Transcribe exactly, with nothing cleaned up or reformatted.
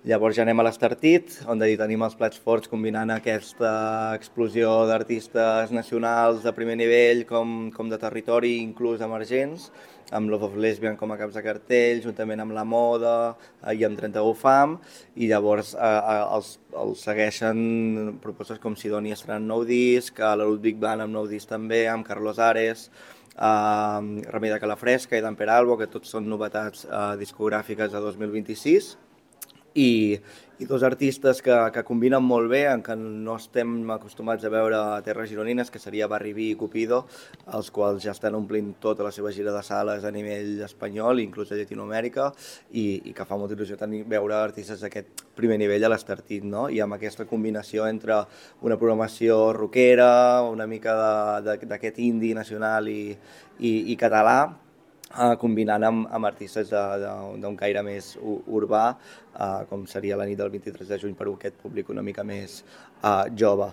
Llavors ja anem a l'Estartit, on hi tenim els plats forts combinant aquesta explosió d'artistes nacionals de primer nivell com, com de territori, inclús emergents, amb Love of Lesbian com a caps de cartell, juntament amb La Moda eh, i amb trenta-u Fam, i llavors eh, eh, els, els segueixen propostes com Sidonia estrenant nou disc, a la Ludwig Band amb nou disc també, amb Carlos Ares, eh, Remei de Calafresca i d'en Peralbo, que tots són novetats eh, discogràfiques de dos mil vint-i-sis, i, i dos artistes que, que combinen molt bé, en què no estem acostumats a veure a terres gironines, que seria Barry B i Cupido, els quals ja estan omplint tota la seva gira de sales a nivell espanyol, inclús a Llatinoamèrica, i, i que fa molta il·lusió tenir, veure artistes d'aquest primer nivell a l'Estartit, no? I amb aquesta combinació entre una programació rockera, una mica d'aquest indie nacional i, i, i català, Uh, combinant amb, amb artistes d'un caire més urbà, uh, com seria la nit del vint-i-tres de juny per a aquest públic una mica més uh, jove.